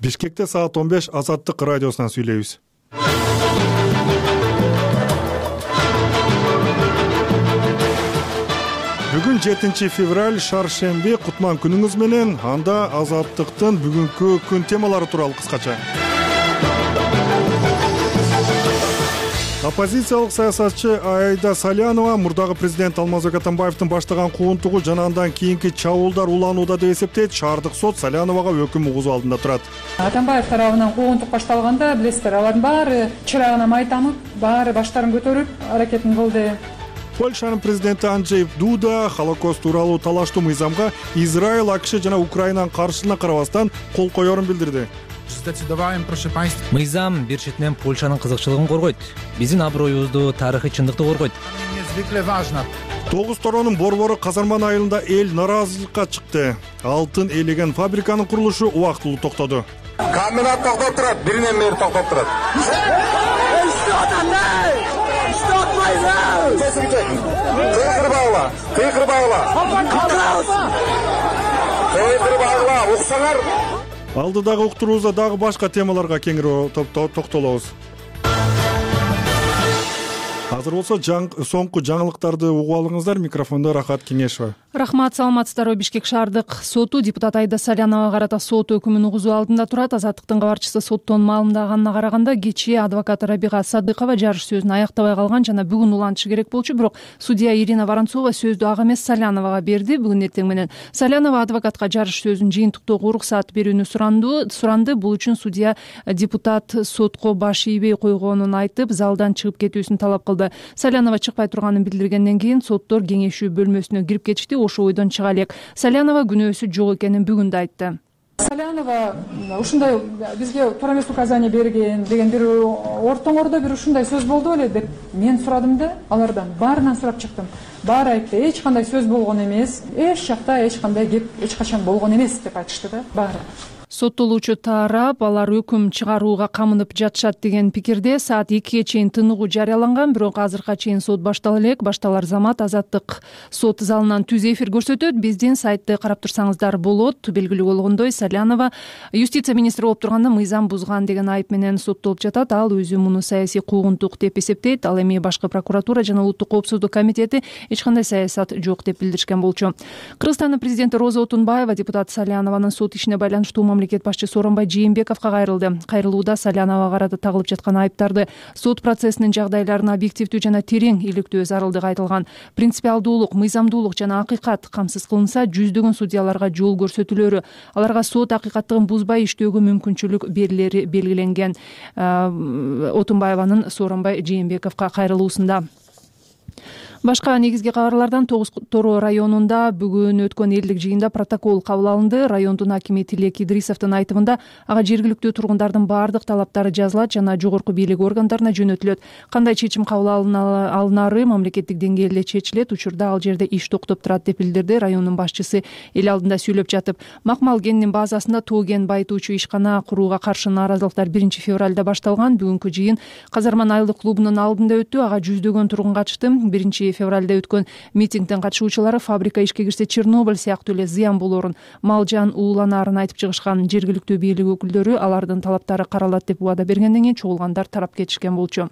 Бишкекте саат 15 Азаттык радиосунан сүйлөйбүз. Бүгүн 7 февраль шаршемби, кутман күнүңүз менен. Анда Азаттыктын бүгүнкү күн темалары тууралуу кыскача. Оппозициялык саясатчы Айда Салянова мурдагы президент Алмазбек Атамбаевдин баштаган куугунтугу жана андан кийинки чабуулдар уланууда деп эсептейт. Шаардык сот Саляновага өкүм угузуу алдында турат. Атамбаев тарабынан куугунтук башталганда, билесиздер, алардын баары чырагына майтанып, баары баштарын көтөрүп аракетин кылды. Польшанын президенти Анджей Дуда Холокост тууралуу талаштуу мыйзамга Израиль, АКШ жана Украинанын каршылыгына карабастан кол коерун билдирди. Мыйзам бир четинен Польшанын кызыкчылыгын коргойт. Биздин аброюбузду, тарыхый чындыкты коргойт. 9 торонун борбору Казарман айылында эл наразылыкка чыкты. Алтын элеген фабриканын курулушу убактылуу токтоду. Комбинат токтоп турат, биринен бери токтоп турат. Уксаңар. Алдыдагы уктуруубузда дагы башка темаларга кеңири токтолобуз. Азыр болсо соңку жаңылыктарды угуп алыңыздар. Микрофондо Рахат Кеңешова. Рахмат, саламатсыздарбы. Бишкек шаардык соту депутат Айда Саляновага карата сот өкүмүн угузуу алдында турат. Азаттыктын кабарчысы соттон маалымдаганына караганда, кечээ адвокат Рабига Садыкова жарыш сөзүн аяктобай калган жана бүгүн улантышы керек болчу, бирок судья Ирина Воронцова сөздү ага эмес Саляновага берди. Бүгүн эртең менен Салянова адвокатка жарыш сөзүн жыйынтыктоого уруксат берүүнү суранды. Бул үчүн судья депутат сотко баш ийбей койгонун айтып, залдан чыгып кетүүсүн талап кылды. Салянова чыкпай турганын билдиргенден кийин соттор кеңешүү бөлмөсүнө кирип кетишти. Ошо ойдон чыга элек. Салянова күнөөсү жок экенин бүгүн да айтты. Салянова ушундай бизге туура эмес указание берген деген бир ортоңордо бир ушундай сөз болду беле деп мен сурадым да, алардан баарынан сурап чыктым. Баары айтты, эч кандай сөз болгон эмес, эч жакта эч кандай кеп эч качан болгон эмес деп айтышты да, баары. Соттолуучу тарап алар өкүм чыгарууга камынып жатышат деген пикирде. Саат 2ге чейин тыныгуу жарыяланган, бирок азыркыга чейин сот баштала элек. Башталар замат Азаттык сот залынан түз эфир көрсөтөт. Биздин сайтты карап турсаңыздар болот. Белгилүү болгондой, Салянова юстиция министри болуп турганда мыйзам бузган деген айып менен соттолуп жатат. Ал өзү муну саясий куугунтук деп эсептейт. Ал эми башкы прокуратура жана улуттук коопсуздук комитети эч кандай саясат жок деп билдиришкен болчу. Кыргызстандын президенти Роза Отунбаева депутат Салянованын сот ишине байланыштуу мамлекет башчысы Сооронбай Жээнбековго кайрылды. Кайрылууда Саляновага карата тагылып жаткан айыптарды сот процессинин жагдайларын объективдүү жана терең иликтөө зарылдыгы айтылган. Принципиалдуулук, мыйзамдуулук жана акыйкат камсыз кылынса, жүздөгөн судьяларга жол көрсөтүлөрү, аларга сот акыйкаттыгын бузбай иштөөгө мүмкүнчүлүк берилери белгиленген. Отунбаеванын Сооронбай Жээнбековго кайрылуусунда. Башка негизги кабарлардан 9 Торо районунда бүгүн өткөн элдик жыйында протокол кабыл алынды. Райондун акими Тилек Идрисовдун айтымында ага жергиликтүү тургундардын баардык талаптары жазылат жана жогорку бийлик органдарына жөнөтүлөт. Кандай чечим кабыл алынары мамлекеттик деңгээлде чечилет. Учурда ал жерде иш токтоп турат деп билдирди райондун башчысы эл алдында сүйлөп жатып. Макмал кенинин базасында тоо кен байытуучу ишкана курууга каршы нааразылыктар 1 февралда башталган. Бүгүнкү жыйын Казарман айылдык клубунун алдында өттү. Ага жүздөгөн тургун катышты. 1 февралда өткөн митингдин катышуучулары фабрика ишке кирсе Чернобыль сыяктуу эле зыян болорун, мал жан ууланарын айтып чыгышкан. Жергиликтүү бийлик өкүлдөрү алардын талаптары каралат деп убада бергенден кийин чогулгандар тарап кетишкен болчу.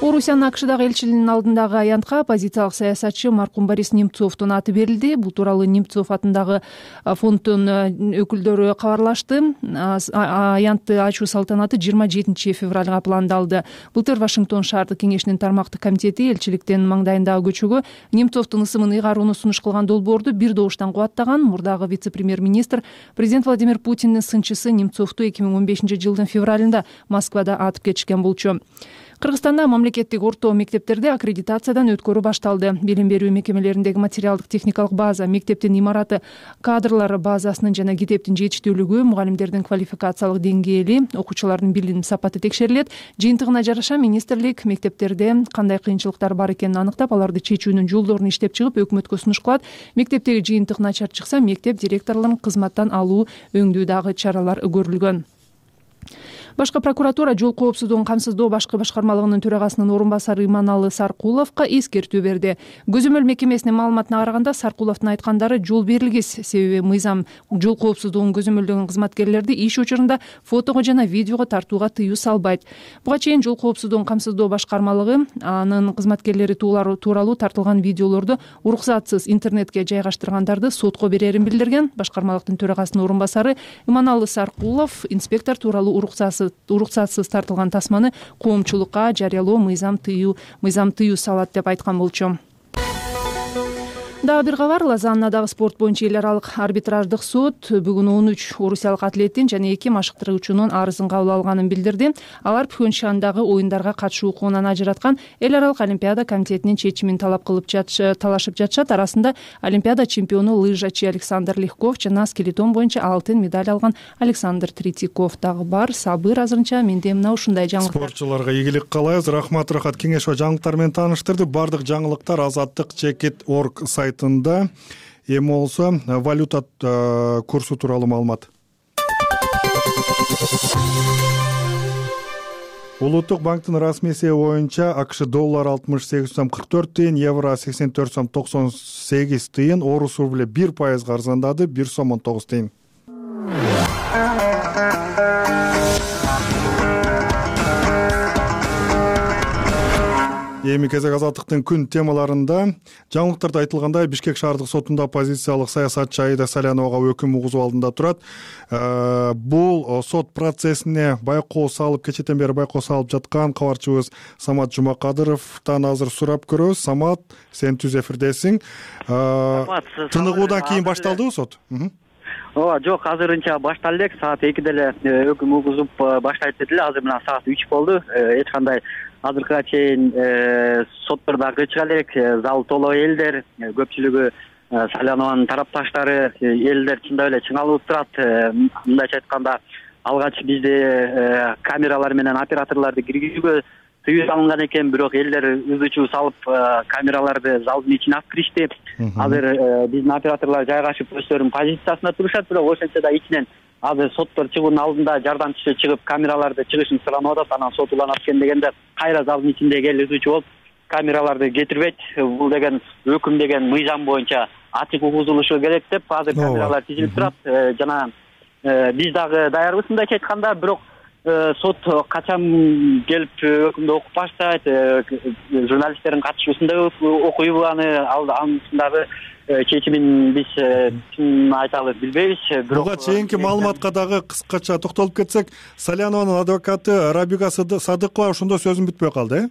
Орусиянын АКШдагы элчилигинин алдындагы аянтка оппозициялык саясатчы маркум Борис Немцовдун аты берилди. Бул тууралуу Немцов атындагы фонддун өкүлдөрү кабарлашты. Аянтты ачуу салтанаты 27 февралга пландалды. Былтыр Вашингтон шаардык кеңешинин тармактык комитети элчиликтин маңдайындагы көчөгө Немцовдун ысымын ыйгарууну сунуш кылган долбоорду бир добуштан кубаттаган. Мурдагы вице-премьер-министр президент Владимир Путиндин сынчысы Немцовду 2015-жылдын февралында Москвада атып кетишкен болчу. Кыргызстанда мамлекеттик орто мектептерде аккредитациядан өткөрүү башталды. Билим берүү мекемелериндеги материалдык техникалык база, мектептин имараты, кадрлар базасынын жана китептин жетиштүүлүгү, мугалимдердин квалификациялык деңгээли, окуучулардын билим сапаты текшерилет. Жыйынтыгына жараша министрлик мектептерде кандай кыйынчылыктар бар экенин аныктап, аларды чечүүнүн жолдорун иштеп чыгып, өкмөткө сунуш кылат. Мектептеги жыйынтык начар чыкса, мектеп директорлорун кызматтан алуу өңдүү дагы чаралар көрүлгөн. Башкы прокуратура жол коопсуздугун камсыздоо башкы башкармалыгынын төрагасынын орун басары Иманалы Саркуловго эскертүү берди. Көзөмөл мекемесинин маалыматына караганда Саркуловдун айткандары жол берилгис, себеби мыйзам жол коопсуздугун көзөмөлдөгөн кызматкерлерди иш учурунда фотого жана видеого тартууга тыюу салбайт. Буга чейин жол коопсуздугун камсыздоо башкармалыгы анын кызматкерлери тууралуу тартылган видеолорду уруксатсыз интернетке жайгаштыргандарды сотко берерин билдирген. Башкармалыктын төрагасынын орун басары Иманалы Саркулов инспектор тууралуу уруксатсыз тартылган тасманы коомчулукка жарыялоо мыйзам тыюу салат деп айткан болчу. Дагы бир кабар. Лозаннадагы спорт боюнча эл аралык арбитраждык сот бүгүн 13 орусиялык атлеттин жана 2 машыктыруучунун арызын кабыл алганын билдирди. Алар Пхенчхандагы оюндарга катышуу укугунан ажыраткан Эл аралык олимпиада комитетинин чечимин талашып жатышат. Арасында олимпиада чемпиону лыжачы Александр Легков жана скелетон боюнча алтын медаль алган Александр Третьяков дагы бар. Сабыр азырынча менде мына ушундай жаңылыктар. Спортчуларга ийгилик каалайбыз. Рахмат кеңеш ва жаңылыктар менен тааныштырды. Бардык жаңылыктар Азаттык.org сайтында. Эми болсо валюта курсу тууралуу маалымат. Улуттук банктын расмий эсеби боюнча АКШ доллар 68,44 тыйын, евро 84,98 тыйын, орус рубль 1% арзандады, 1,19 тыйын. Эми кезек Азаттыктын күн темаларында жаңылыктарда айтылгандай Бишкек шаардык сотунда оппозициялык саясатчы Аида Саляновага өкүм угузуу алдында турат. Бул сот процессине байкоо салып, кечеден бери байкоо салып жаткан кабарчыбыз Самат Жумакадыровдон азыр сурап көрөбүз. Самат, сен түз эфирдесиң. Тыныгуудан кийин башталдыбы сот? Ооба, жок, азырынча башталды элек. Саат 2-де эле өкүм угузуп баштайт деди эле. Азыр менен саат 3 болду. Эч кандай азыркыга чейин соттордо кычыга элек, зал толо элдер, көпчүлүгү Салянованын тарапташтары, элдер чындап эле чыңалып турат. Мындайча айтканда, алгач бизде камералар менен операторлорду киргизүүгө тыюу салынган экен, бирок элдер ызы-чуу салып камераларды залдын ичине алып киришти. Азыр биздин операторлор жайгашып өздөрүнүн позициясына турушат, бирок ошентсе да ичинен азыр соттор чыгуунун алдында жардамчысы чыгып камераларды чыгышын суранып атат. Анан сот уланат экен дегенде кайра залдын ичиндеги эл ызы-чуу болуп камераларды кетирбейт. Бул деген өкүм деген мыйзам боюнча ачык угузулушу керек деп азыр камералар тизилип турат. Жана биз дагы даярбыз мындайча айтканда, бирок сот качан келип өкүмдү окуп баштайт, журналисттердин катышуусунда окуйбу анын дагы чечимин биз чын айталы билбейбиз. Бирок буга чейинки маалыматка дагы кыскача токтолуп кетсек, Салянованын адвокаты Рабига Садыкова ошондо сөзүн бүтпөй калды,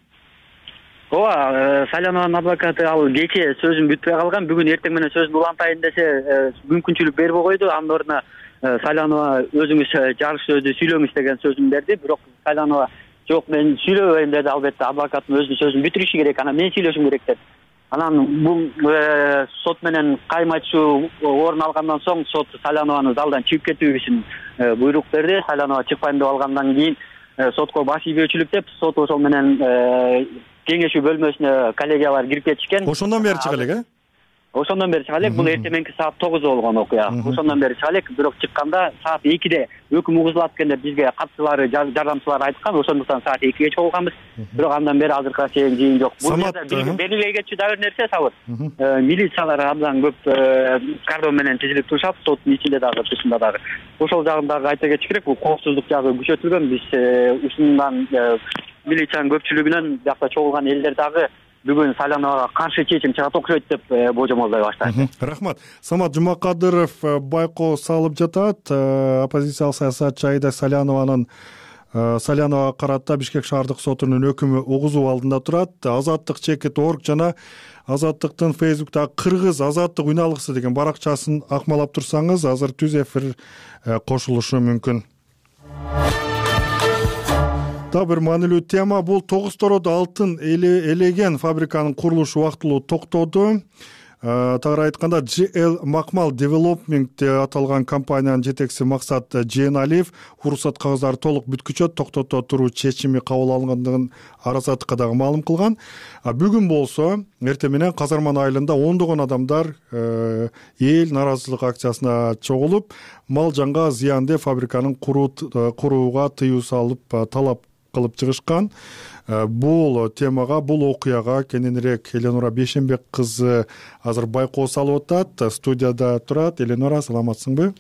Ооба, Салянованын адвокаты ал кечээ сөзүн бүтпөй калган. Бүгүн эртең менен сөзүн улантайын десе, мүмкүнчүлүк бербей койду. Анын ордуна Салянова өзүңүз жарыш сөздү сүйлөңүз деген сөзүн берди. Бирок Салянова жок, мен сүйлөбөйм деди. Албетте адвокаттын өзүнүн сөзүн бүтүрүшү керек, анан мен сүйлөшүм керек деди. Анан бул сот менен кайма-айтышуу орун алгандан соң сот Салянованын залдан чыгып кетүү үчүн буйрук берди. Салянова чыкпайм деп алгандан кийин сотко баш ийбөөчүлүк деп сот ошол менен кеңешүү бөлмөсүнө коллегиялар кирип кетишкен. Ошондон бери чыга элек, Ошондон бери чыга элек. Бул эртең мененки саат 9 болгон окуя. Ошондон бери чыга элек. Бирок чыкканда саат 2-де өкүм угузулат экен деп бизге катчылары, жардамчылар айткан. Ошондуктан саат 2-ге чогулганбыз. Бирок андан бери азыркыга чейин жыйын жок. Бул жерде белгилей кетчү дагы бир нерсе Сабыр. Милициялар абдан көп кардон менен тизилип турушат, соттун ичинде дагы, тышында дагы. Ошол жагын дагы айта кетиш керек. Бул коопсуздук жагы күчөтүлгөн. Биз ушундан милициянын көпчүлүгүнөн биякта чогулган элдер дагы бүгүн Саляновага каршы чечим чыгат окшойт деп божомолдой баштайт. Рахмат. Самат Жумакадыров байкоо салып жатат. Оппозициялык саясатчы Аида Саляновага карата Бишкек шаардык сотунун өкүмү угузуу алдында турат. Азаттык.org жана Азаттыктын Facebook'тагы кыргыз Азаттык уйналгысы деген баракчасын акмалап турсаңыз, азыр түз эфир кошулушу мүмкүн. Да бир маанилүү тема бул Тогуз Тородо алтын элеген фабриканын курулушу убактылуу токтоду. Тагыраак айтканда GL Макмал Development аталган компаниянын жетекчиси Максат Жээналиев уруксат кагыздары толук бүткүчө токтото туруу чечими кабыл алынгандыгын Аразаттыкка дагы маалым кылган. Бүгүн болсо эртең менен Казарман айылында ондогон адамдар эл нааразычылык акциясына чогулуп, мал жанга зыян деп фабриканын курууга тыюу салып талап кылып чыгышкан. Бул темага, бул окуяга кененирээк Эленора Бейшенбек кызы азыр байкоо салып атат. Студияда турат. Эленора, саламатсыңбы?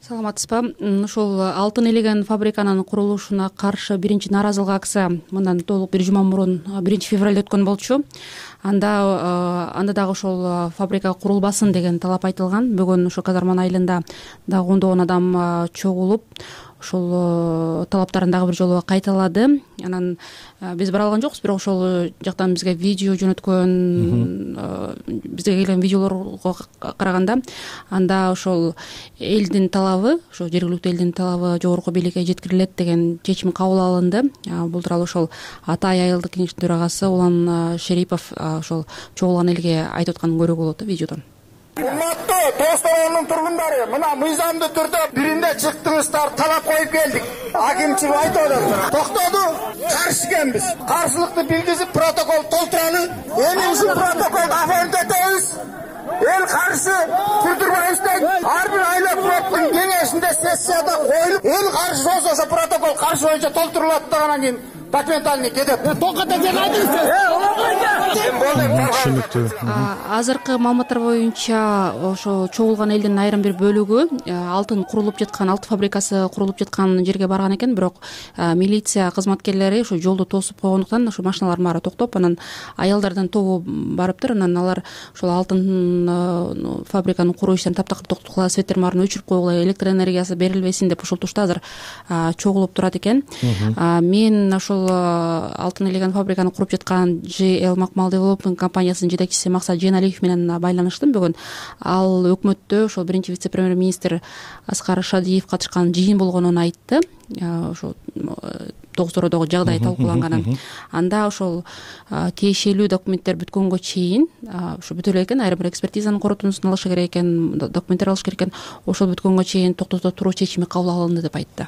Саламатсызбы? Ошол алтын элеген фабриканын курулушуна каршы биринчи нааразылык акция мындан толук бир жума мурун 1-февралда өткөн болчу. Анда дагы ошол фабрика курулбасын деген талап айтылган. Бүгүн ошо Казарман айылында дагы ондогон адам чогулуп, ошол талаптарын дагы бир жолу кайталады. Анан биз бара алган жокпуз, бирок ошол жактан бизге видео жөнөткөн, бизге келген видеолорго караганда анда ошол элдин талабы, ошо жергиликтүү элдин талабы жогорку бийликке жеткирилет деген чечим кабыл алынды. Бул тууралуу ошол Атай айылдык кеңештин төрагасы Улан Шерипов ошол чогулган элге айтып атканын көрүүгө болот видеодон. Урматтуу Тоос районунун тургундары, мына мыйзамдуу түрдө биринде чыктыңыздар, талап коюп келдик. Акимчилик айтып атат. Токтоду, каршы экенбиз. Каршылыкты билгизип протокол толтуралы. Эми ушул протоколду оформдетебиз. Эл каршы түрдүрбөйбүз дейт. Ар бир айла проттун кеңешинде сессияда коюлуп, эл каршы болсо ошо протокол каршы боюнча толтурулат анан кийин документальный кетет. Токото сен айтыңызчы. Азыркы маалыматтар боюнча ошо чогулган элдин айрым бир бөлүгү алтын курулуп жаткан, алтын фабрикасы курулуп жаткан жерге барган экен, бирок милиция кызматкерлери ошо жолду тосуп койгондуктан ошо машиналардын баары токтоп, анан аялдардын тобу барыптыр. Анан алар ошол алтын фабриканын куруу иштерин таптакыр токтоткула, светтердин баарын өчүрүп койгула, электр энергиясы берилбесин деп ушул тушта азыр чогулуп турат экен. Мен ошол алтын элеген фабриканы куруп жаткан GL Макмал Development компаниясынын жетекчиси Максат Жээналиев менен байланыштым бүгүн. Ал өкмөттө ошол биринчи вице-премьер-министр Аскар Шадиев катышкан жыйын болгонун айтты. Ошо Тогуз-Тородогу жагдай талкууланганын. Анда ошол тиешелүү документтер бүткөнгө чейин, ошо бүтө элек экен, айрым бир экспертизанын коротундусун алыш керек экен, документтер алыш керек экен. Ошол бүткөнгө чейин токтото туруу чечими кабыл алынды деп айтты.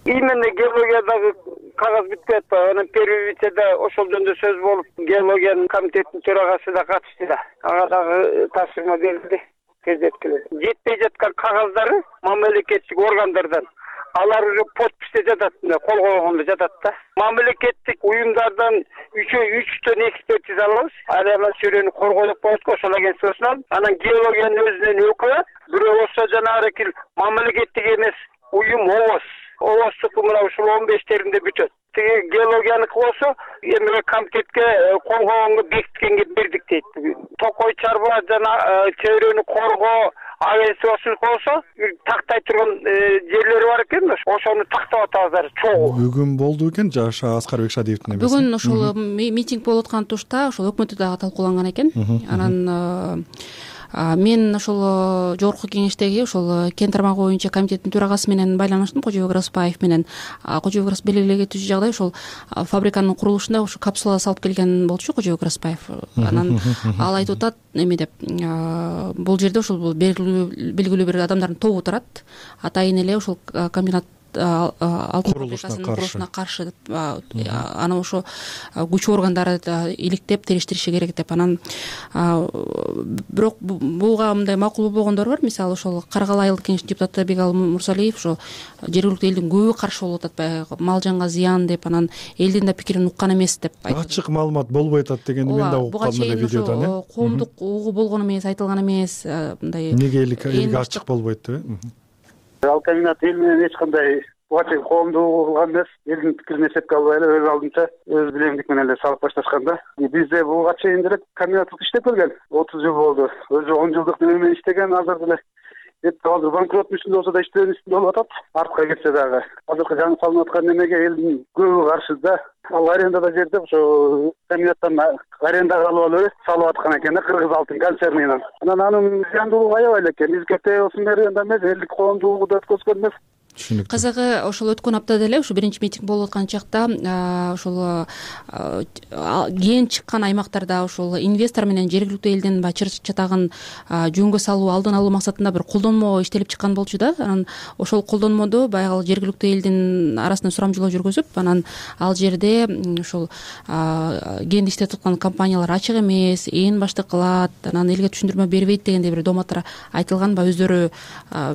Именно геологиядагы кагаз бүтпөй атпайбы? Анан первый вицеде ошол жөнүндө сөз болуп, геологиянын комитетинин төрагасы да катышты да. Ага дагы тапшырма берилди, тездеткиле. Жетпей жаткан кагаздары мамлекеттик органдардан алар уже подписте жатат, кол койгондо жатат да. Мамлекеттик уюмдардан 3төн экспертиза алабыз. Анан чөйрөнү коргоо деп коебуз, ошол агентствосун алып, анан геологиянын өзүнөн өкүлү, бирөө болсо жанагы мамлекеттик эмес уюм ООС мына ушул 15-теринде бүтөт. Тиги геологияныкы болсо, эми комитетке кол койгонго бекиткенге бердик дейт. Токой чарба жана чөйрөнү коргоо агентствосу болсо, тактай турган жерлери бар экен, ошону тактап атабыздар чогуу. Бүгүн болду экен Аскарбек Шадиевдин эмеси. Бүгүн ошол митинг болуп аткан тушта ошол өкмөттө дагы талкууланган экен. Анан мен ошол жогорку кеңештеги ошол кен тармагы боюнча комитеттин төрагасы менен байланыштым, Кожобек Распаев менен. Кожобек Распаев белгилеген түзү жагдай ошол фабриканын курулушунда ошо капсула салып келген болчу Кожобек Распаев. Анан ал айтып атат эме деп, бул жерде ошол белгилүү бир адамдардын тобу турат. Атайын эле ошол комбинат алтын фабрикасынын курулушуна каршы деп, анан ошо күч органдары иликтеп териштириши керек деп. Анан бирок буга мындай макул болгондор бар. Мисалы ошол Каргал айылдык кеңештин депутаты Бегал Мурсалиев ошо жергиликтүү элдин көбү каршы болуп атат, мал жанга зыян деп, анан элдин да пикирин уккан эмес деп айтты. Ачык маалымат болбой атат дегенди мен да уккам эле видеодон. Коомдук угуу болгон эмес, айтылган эмес, мындай. Эмнеге элге ачык болбойт деп? Ал комбинат эл менен эч кандай буга коомду кылган эмес, элдин пикирин эсепке албай эле өз алдынча өз билемдик менен эле салып башташкан да. Бизде буга чейин деле комбинаттык иштеп келген, 30 жыл болду. Өзү 10 жылдык неме менен иштеген, азыр деле азыр банкрот үстүндө болсо да иштөө үстүндө болуп атат. Артка кетсе дагы азыркы жаңы салынып аткан немеге элдин көбү каршы да. Ал арендада жерде ошо комбинаттан арендага алып эле салып аткан экен да, Кыргыз алтын концернинен. Анан анын зыяндуулугу аябай эле экен. Биз кете болсун бери анда эмес, элдик коомдуулугу да өткөзгөн эмес. түшүнүктүү. Кызыгы ошол өткөн аптада эле ушу биринчи митинг болуп аткан чакта ошол кен чыккан аймактарда ошол инвестор менен жергиликтүү элдин баягы чыр чатагын жөнгө салуу, алдын алуу максатында бір колдонмо иштелип чыккан болчу да. Анан ошол колдонмодо баягы жергиликтүү элдин арасында сурамжылоо жүргүзүп, анан ал жерде ошол кенди иштетип аткан компаниялар ачык эмес, ээн баштык кылат, анан элге түшүндүрмө бербейт дегендей бир доматтар айтылган, баягы өздөрү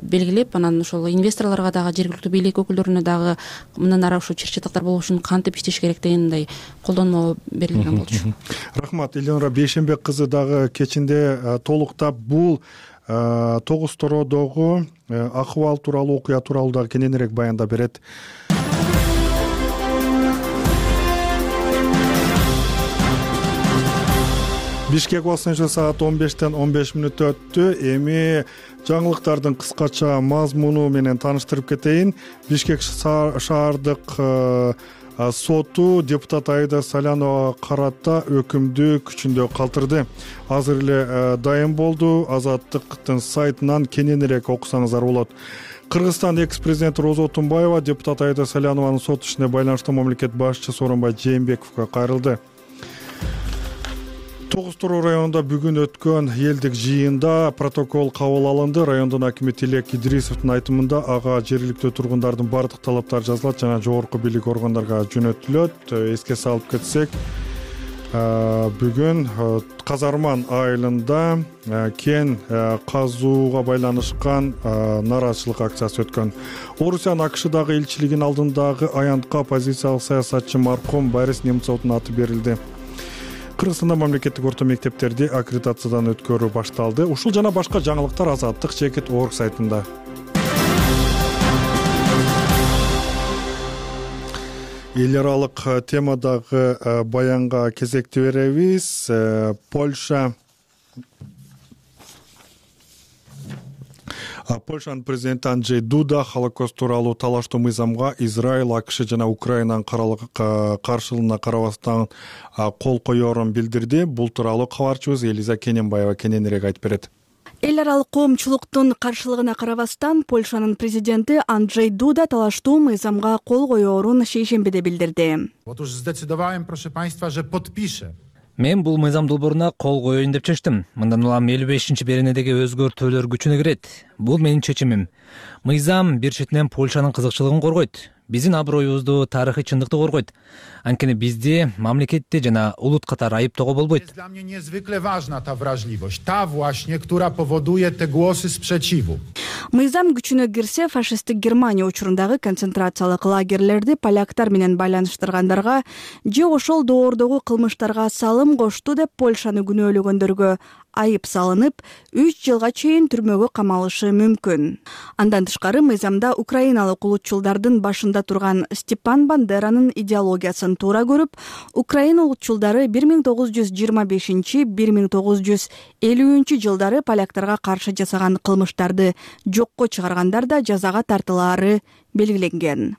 белгилеп, анан ошол инвесторлорго дагы, жергиликтүү бийлик өкүлдөрүнө дагы мындан ары ошо чыр чатактар болбош үчүн кантип иштеш керек дегендей колдонмо берилген болчу. Рахмат. Элнура Бейшенбек кызы дагы кечинде толуктап бул Тогуз Тородогу акыбал тууралуу, окуя тууралуу дагы кененирээк баяндап берет. Бишкек басынчы саат 15:15 өттү. Эми жаңылыктардын кыскача мазмуну менен таныштырып кетейин. Бишкек шаардык соту депутат Аида Салянова карата өкүмдү күчүндө калтырды. Азыр эле дайым болду. Азаттыктын сайтынан кененирээк окусаңыздар болот. Кыргызстан экс-президенти Роза Отунбаева депутат Аида Салянованын сот ишине байланыштуу мамлекет башчысы Сооронбай Жээнбековго кайрылды. Тогуз Тороо районунда бүгүн өткөн элдик жыйында протокол кабыл алынды. Райондун акими Тилек Идрисовдун айтымында ага жергиликтүү тургундардын бардык талаптары жазылат жана жогорку бийлик органдарга жөнөтүлөт. Эске салып кетсек, бүгүн Казарман айылында кен казууга байланышкан нааразычылык акциясы өткөн. Орусиянын АКШдагы элчилигинин алдындагы аянтка оппозициялык саясатчы маркум Борис Немцовдун аты берилди. Кыргызстанда мамлекеттик орто мектептерди аккредитациядан өткөрүү башталды. Ушул жана башка жаңылыктар Азаттык Чекит орг сайтында. Эл аралык темадагы баянга кезекти беребиз. Польшанын президенти Анджей Дуда Холокост тууралуу талаштуу мыйзамга Израиль, АКШ жана Украинанын каршылыгына карабастан кол коерун билдирди. Бул тууралуу кабарчыбыз Элиза Кененбаева кененирээк айтып берет. Эл аралык коомчулуктун каршылыгына карабастан Польшанын президенти Анджей Дуда талаштуу мыйзамга кол коерун шейшембиде билдирди. Otóż zdecydowałem, proszę państwa, że podpiszę. Мен бул мыйзам долбооруна кол коеюн деп чечтим. Мындан улам 55-беренедеги өзгөртүүлөр күчүнө кирет. Бул менин чечимим. Мыйзам бир четинен Польшанын кызыкчылыгын коргойт. Биздин аброюбузду, тарыхый чындыкты коргойт. Анткени бизди мамлекетти жана улут катары айыптоого болбойт. Dla mnie niezwykle ważna ta wrażliwość, ta właśnie, która powoduje te głosy sprzeciwu. Мыйзам күчүнө кирсе, фашисттик Германия учурундагы концентрациялык лагерлерди поляктар менен байланыштыргандарга же ошол доордогу кылмыштарга салым кошту деп Польшаны күнөөлөгөндөргө айып салынып, 3 жылга чейин түрмөгө камалышы мүмкүн. Андан тышкары мыйзамда украиналык улутчулдардын башында турган Степан Бандеранын идеологиясын туура көрүп, Украина улутчулдары 1925-1950 жылдары поляктарга каршы жасаган кылмыштарды жокко чыгаргандар да жазага тартылаары белгиленген.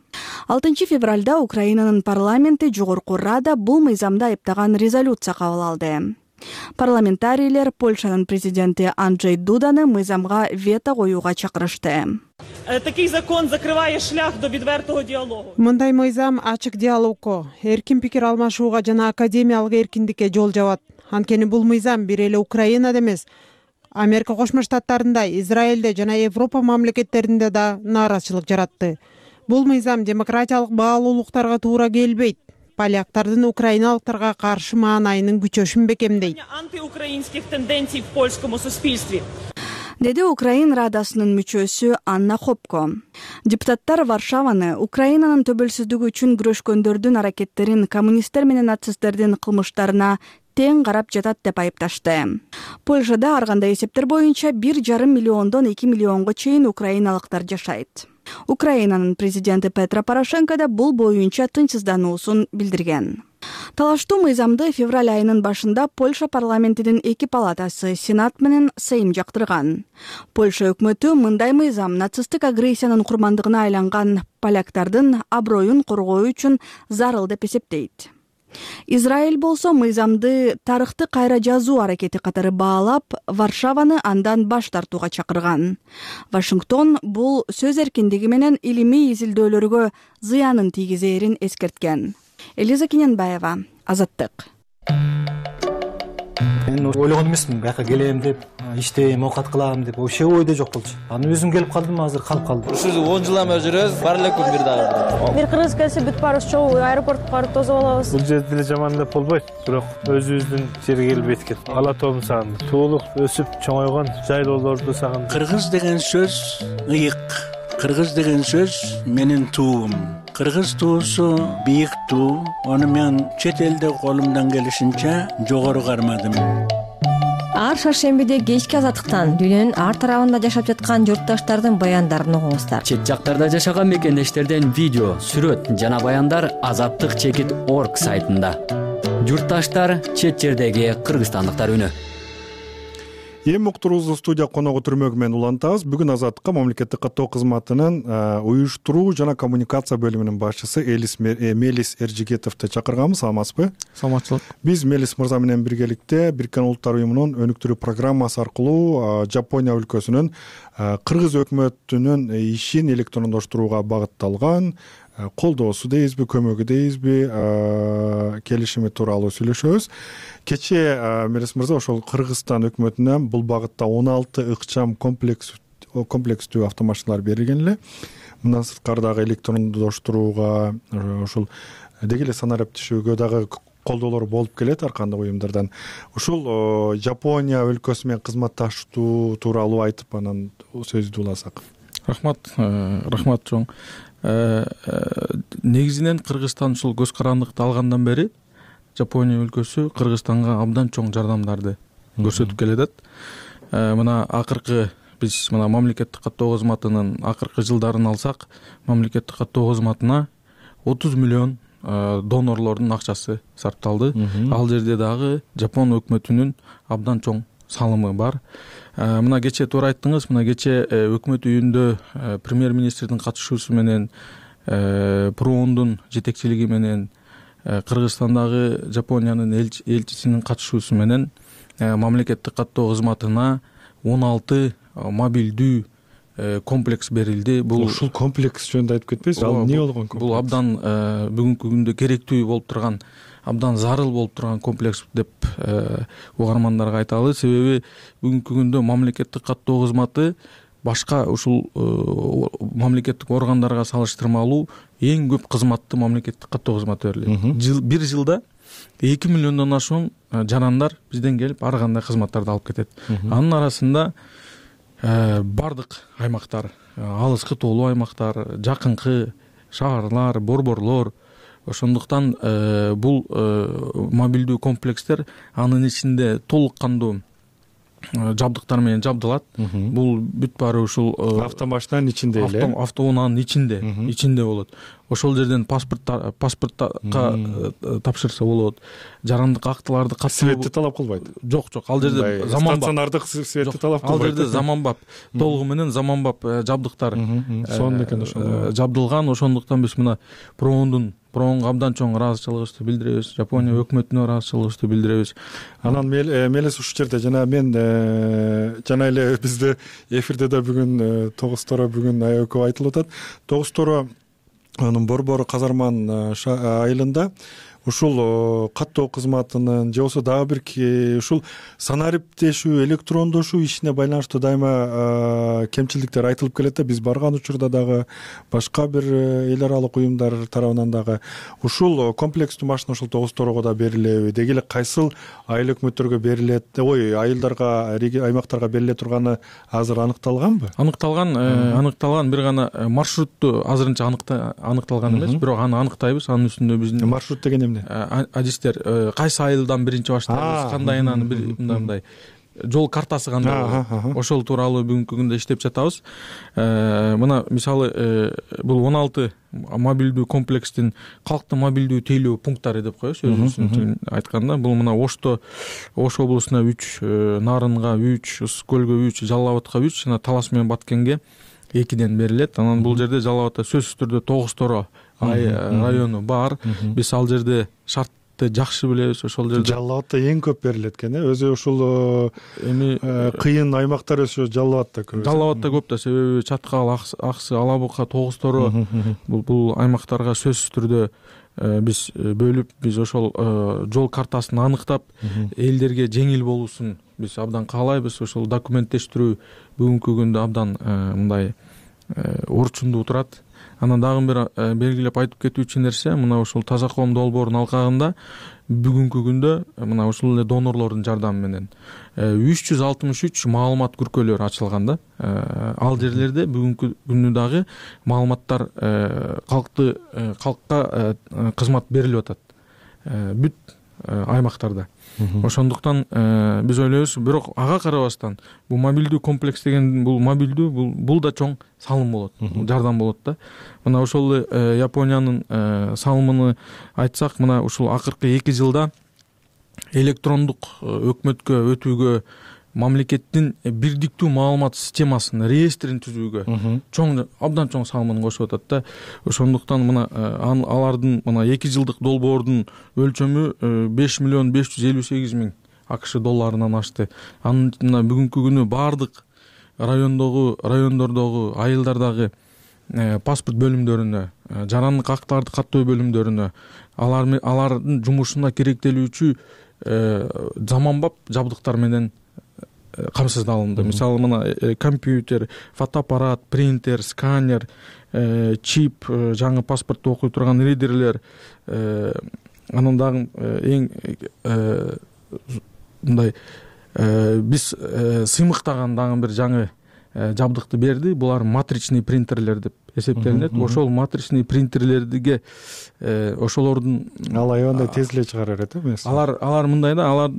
6 февралда Украинанын парламенти Жогорку Рада бул мыйзамды айыптаган резолюция кабыл алды. Парламентарийлер Польшанын президенти Анджей Дуданы мыйзамга вето коюуга чакырышты. Такий закон закрыває шлях до відвертого діалогу. Мындай мыйзам ачык диалогко, эркин пикир алмашууга жана академиялык эркиндикке жол жабат. Анткени бул мыйзам бир эле Украинада эмес, Америка Кошмо Штаттарында, Израилде жана Европа мамлекеттеринде да нааразычылык жаратты. Бул мыйзам демократиялык баалуулуктарга туура келбейт. Поляктардын украиналыктарга каршы маанайынын күчөшүн бекемдейт. Антиукраинских тенденций в польском суспільстві. Деди Украин Радасынын мүчөсү Анна Хопко. Депутаттар Варшаваны Украинанын төбөлсүздүгү үчүн күрөшкөндөрдүн аракеттерин коммунисттер менен нацисттердин кылмыштарына тең карап жатат деп айыпташты. Польшада ар кандай эсептер боюнча 1,5 миллиондон 2 миллионго чейин украиналыктар жашайт. Украинанын президенти Петро Порошенко да бул боюнча тынчсыздануусун билдирген. Талаштуу мыйзамды февраль айынын башында Польша парламентинин 2 палатасы Сенат менен Сейм жактырган. Польша өкмөтү мындай мыйзам нацисттик агрессиянын курмандыгына айланган поляктардын аброюн коргоо үчүн зарыл деп эсептейт. Израиль болсо мыйзамды тарыхты кайра жазуу аракети катары баалап, Варшаваны андан баш тартууга чакырган. Вашингтон бул сөз эркиндиги менен илимий изилдөөлөргө зыянын тийгизээрин эскерткен. Элиза Кененбаева, Азаттык. Мен ойлогон эмесмин, бияка келем деп, иштейм, оокат кылам деп, вообще ойдо жок болчу. Анан өзүм келип калдым, азыр калып калдым. Ушул 10 жылдан бери жүрөбүз, бар эле күн бир дагы. Бир кыргыз келсе бүт баарыбыз чогуу аэропортко барып тосуп алабыз. Бул жерде деле жаман деп болбойт, бирок өзүбүздүн жерге келбейт экен. Ала тообун сагындым. Туулук өсүп чоңойгон жайлоолорду сагындым. Кыргыз деген сөз ыйык. Кыргыз деген сөз менин туум. Кыргыз туусу бийик туу. Аны мен чет элде колумдан келишинче жогору кармадым. Ар шаршембиде кечки Азаттыктан дүйнөнүн ар тарабында жашап жаткан журтташтардын баяндарын угуңуздар. Чет жактарда жашаган мекендештерден видео, сүрөт жана баяндар azattik.org сайтында. Журтташтар, чет жердеги кыргызстандыктар үнү. Эми уктуруубузду студия коногу түрмөгү менен улантабыз. Бүгүн Азаттыкка мамлекеттик каттоо кызматынын уюштуруу жана коммуникация бөлүмүнүн башчысы Мелис Эржигетовду чакырганбыз. Саламатсызбы? Саламатчылык. Биз Мелис мырза менен биргеликте Бириккен Улуттар уюмунун өнүктүрүү программасы аркылуу Жапония өлкөсүнүн кыргыз өкмөтүнүн ишин электрондоштурууга багытталган колдоосу дейбизби, көмөгү дейбизби, келишими тууралуу сүйлөшөбүз. Кечээ Мелис мырза ошол Кыргызстан өкмөтүнөн бул багытта 16 ыкчам комплекстүү автомашиналар берилген эле. Мындан сырткары дагы электрондоштурууга, ошол деги эле санариптешүүгө дагы колдоолор болуп келет ар кандай уюмдардан. Ушул Жапония өлкөсү менен кызматташтуу тууралуу айтып, анан сөздү уласак. Рахмат чоң. Негизинен Кыргызстан ушул көз карандыкты алгандан бери Жапония өлкөсү Кыргызстанга абдан чоң жардамдарды көрсөтүп келатат. Мына акыркы биз мына мамлекеттик каттоо кызматынын акыркы жылдарын алсак, мамлекеттик каттоо кызматына 30 миллион донорлордун акчасы сарпталды. Ал жерде дагы Жапон өкмөтүнүн абдан чоң салымы бар. Мына кечээ туура айттыңыз, мына кечээ өкмөт үйүндө премьер-министрдин катышуусу менен, ПРООндун жетекчилиги менен, Кыргызстандагы Жапониянын элчисинин катышуусу менен мамлекеттик каттоо кызматына 16 мобилдүү комплекс берилди. Бул ушул комплекс жөнүндө айтып кетпейсизби? Ал эмне болгон комплекс? Бул абдан бүгүнкү күндө керектүү болуп турган, абдан зарыл болуп турган комплекс деп угармандарга айталы. Себеби бүгүнкү күндө мамлекеттик каттоо кызматы башка ушул мамлекеттик органдарга салыштырмалуу эң көп кызматты мамлекеттик каттоо кызматы берилет. Бир жылда 2 миллиондон ашуун жарандар бизден келип ар кандай кызматтарды алып кетет. Анын арасында бардык аймактар, алыскы тоолуу аймактар, жакынкы шаарлар, борборлор. Ошондуктан бул мобилдүү комплекстер анын ичинде толук кандуу жабдыктар менен жабдылат. Бул бүт баары ушул автомашинанын ичинде эле, автоунаанын ичинде болот. Ошол жерден паспортка тапшырса болот. Жарандык актыларды светти талап кылбайт. Жок, ал жерде заманбап стационардык светти талап кылбайт. Ал жерде заманбап, толугу менен заманбап жабдыктар жабдылган. Ошондуктан биз мына ПРООнго абдан чоң ыраазычылыгыбызды билдиребиз, Жапония өкмөтүнө ыраазычылыгыбызды билдиребиз. Анан Мелис ушул жерде жана мен жана эле бизде эфирде да бүгүн Тогуз-Торо бүгүн аябай көп айтылып атат. Тогуз-Торо анын борбору Казарман айылында ушул каттоо кызматынын же болбосо дагы бир ушул санариптешүү, электрондошуу ишине байланыштуу дайыма кемчиликтер айтылып келет да. Биз барган учурда дагы башка бир эл аралык уюмдар тарабынан дагы ушул комплекстүү машина ушул Тогуз-Торого да берилеби, деги эле кайсыл айыл өкмөттөргө берилет, айылдарга, аймактарга бериле турганы азыр аныкталганбы? Аныкталган бир гана маршрутту азырынча аныкталган эмес, бирок аны аныктайбыз. Анын үстүндө биздин маршрут деген адистер кайсы айылдан биринчи баштайбыз, кандай анан мындай жол картасы кандай, ошол тууралуу бүгүнкү күндө иштеп жатабыз. Мына мисалы бул 16 мобилдүү комплекстин калктын мобилдүү тейлөө пункттары деп коебуз өзүбүздүн айтканда. Бул мына Ош облусуна 3, Нарынга 3, Ысык көлгө 3, Жалал абадка 3 жана Талас менен Баткенге 2ден берилет. Анан бул жерде Жалал абадта сөзсүз түрдө Тогуз-Торо району бар. Биз ал жерде шарт албетте жакшы билебиз. Ошол жерде Жалал Абадда эң көп берилет экен, өзү ушул эми кыйын аймактар өсү Жалал Абадда көп. Жалал Абадда көп да, себеби Чаткал, Аксы, Ала Бука, Тогуз Торо бул аймактарга сөзсүз түрдө биз бөлүп, биз ошол жол картасын аныктап, элдерге жеңил болуусун биз абдан каалайбыз. Ошол документтештирүү бүгүнкү күндө абдан мындай орчундуу турат. Анан дагы бир белгилеп айтып кетүүчү нерсе, мына ушул Таза коом долбоорунун алкагында бүгүнкү күндө мына ушул эле донорлордун жардамы менен 363 маалымат күркөлөрү ачылган да. Ал жерлерде бүгүнкү күндө дагы маалыматтар калкка кызмат берилип атат бүт аймактарда. Ошондуктан биз ойлойбуз, бирок ага карабастан бул мобилдүү комплекс деген бул да чоң салым болот, жардам болот да. Мына ошол Япониянын салымын айтсак, мына ушул акыркы 2 жылда электрондук өкмөткө өтүүгө, мамлекеттин бирдиктүү маалымат системасын, реестрин түзүүгө абдан чоң салымын кошуп атат да. Ошондуктан мына алардын мына 2 жылдык долбоордун өлчөмү 5.558.000 АКШ долларынан ашты. Анын мына бүгүнкү күнү баардык райондордогу, айылдардагы паспорт бөлүмдөрүнө, жарандык актарды каттоо бөлүмдөрүнө алардын жумушуна керектелүүчү заманбап жабдыктар менен камсыздалынды. Мисалы мына компьютер, фотоаппарат, принтер, сканер, чип, жаңы паспортто окуй турган ридерлер, анан дагы эң мындай биз сыймыктаган дагы бир жаңы жабдыкты берди. Булар матричный принтерлер деп эсептелинет. Ошол матричный принтерлерге ошолордун аябандай тез эле чыгара берет эмес. Алар мындай да, алар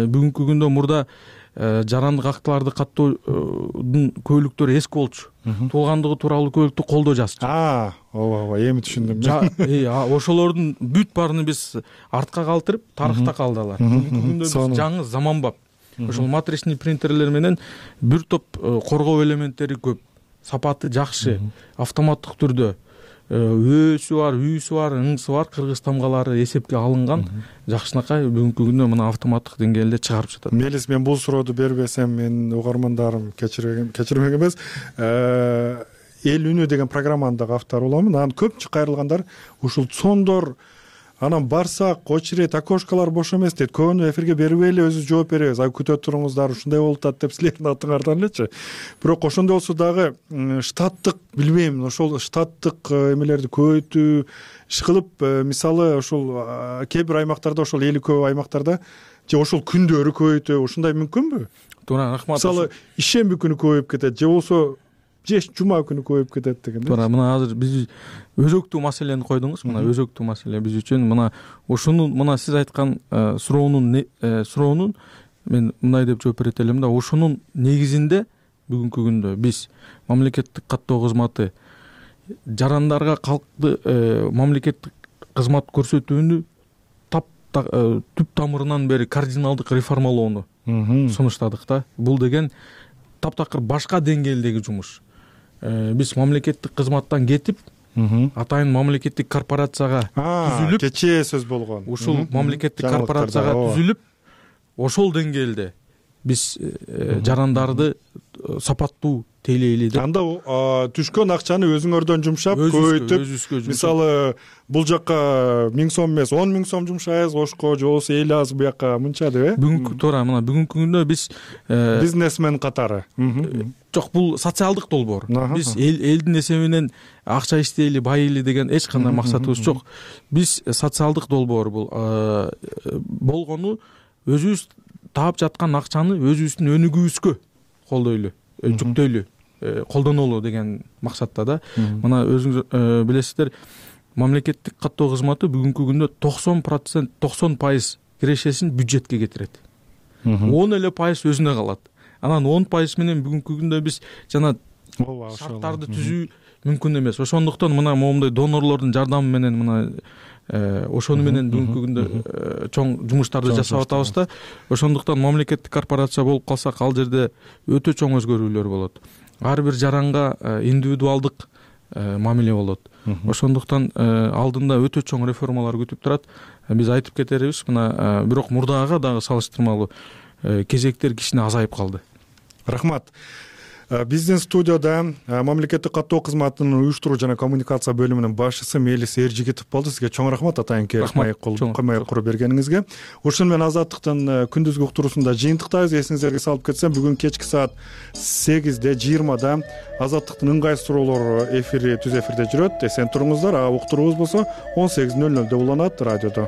бүгүнкү күндө мурда жарандык актыларды каттоодун көйлүктөрү эски болчу. Туулгандыгы тууралуу көйлүктү колдо жазчу. Ооба, эми түшүндүм. Ошолордун бүт баарын биз артка калтырып, тарыхта калдылар. Бүгүнкү күндө биз жаңы заманбап ошол матричный принтерлер менен бир топ коргоо элементтери көп, сапаты жакшы, автоматтык түрдө өөсү бар, үйсү бар, ыңсы бар кыргыз тамгалары эсепке алынган жакшынакай бүгүнкү күндө мына автоматтык деңгээлде чыгарып жатат. Мелис, мен бул сурооду бербесем, менин угармандарым кечирмек эмес. Эл үнү деген программанын дагы автору боламын. Анан көпчү кайрылгандар ушул сондор, анан барсак очередь, окошкалар бош эмес дейт. Көбүнө эфирге бербейли, өзү жооп беребиз. Күтө туруңуздар, ушундай болуп атат деп силердин атыңардан элечи. Бирок ошондой болсо дагы штаттык, билбейм, ошол штаттык эмелерди көбөйтүү иш кылып, мисалы ошол кээ бир аймактарда, ошол эли көп аймактарда же ошол күндөрү көбөйтүү, ушундай мүмкүнбү? Туура, рахмат. Мисалы ишемби күнү көбөйүп кетет же болсо жума күнү көбөйүп кетет деген. Туура, мына азыр биз өзөктүү маселени койдуңуз. Мына өзөктүү маселе биз үчүн мына ушунун, мына сиз айткан суроонун мен мындай деп жооп берет элем да. Ошонун негизинде бүгүнкү күндө биз мамлекеттик каттоо кызматы жарандарга калкты мамлекеттик кызмат көрсөтүүнү түп тамырынан бери кардиналдык реформалоону сунуштадык да. Бул деген таптакыр башка деңгээлдеги жумуш. Биз мамлекеттик кызматтан кетип, атайын мамлекеттик корпорацияга түзүлүп, кечээ сөз болгон. Ушул мамлекеттик корпорацияга түзүлүп, ошол деңгээлде биз жарандарды сапаттуу тейлейли деп. Анда түшкөн акчаны өзүңөрдөн жумшап, көбөйтүп, мисалы бул жакка 1000 сом эмес, 10.000 сом жумшайбыз, ошко же болбосо эл аз буяка мынча деп, Бүгүнкү туура, мына бүгүнкү күндө биз бизнесмен катары. Жок, бул социалдык долбоор. Биз элдин эсебинен акча иштейли, байыйли деген эч кандай максатыбыз жок. Биз социалдык долбоор бул болгону өзүбүз таап жаткан акчаны өзүбүздүн өнүгүүбүзгө колдойлу, жүктөйлү, колдонолу деген максатта да. Мына өзүңүз билесиздер, мамлекеттик каттоо кызматы бүгүнкү күндө 90% кирешесин бюджетке кетирет. 10 эле пайыз өзүнө калат. Анан 10% менен бүгүнкү күндө биз жана шарттарды түзүү мүмкүн эмес. Ошондуктан мына момундай донорлордун жардамы менен мына ошону менен бүгүнкү күндө чоң жумуштарды жасап атабыз да. Ошондуктан мамлекеттик корпорация болуп калсак, ал жерде өтө чоң өзгөрүүлөр болот. Ар бир жаранга индивидуалдык мамиле болот. Ошондуктан алдында өтө чоң реформалар күтүп турат. Биз айтып кетербиз, мына бирок мурдагыга дагы салыштырмалуу кезектер кичине азайып калды. Рахмат. Биздин студияда мамлекеттик каттоо кызматынын уюштуруу жана коммуникация бөлүмүнүн башчысы Мелис Эржигитов болду. Сизге чоң рахмат атайынки маек куруп бергениңизге. Ушун менен Азаттыктын күндүзгү уктуруусунда жыйынтыктайбыз. Эсиңиздерге салып кетсем, бүгүн кечки саат 8:20 Азаттыктын ыңгай суроолору эфири түз эфирде жүрөт. Эсен туруңуздар. Уктуруубуз болсо 18:00 уланат радиодо.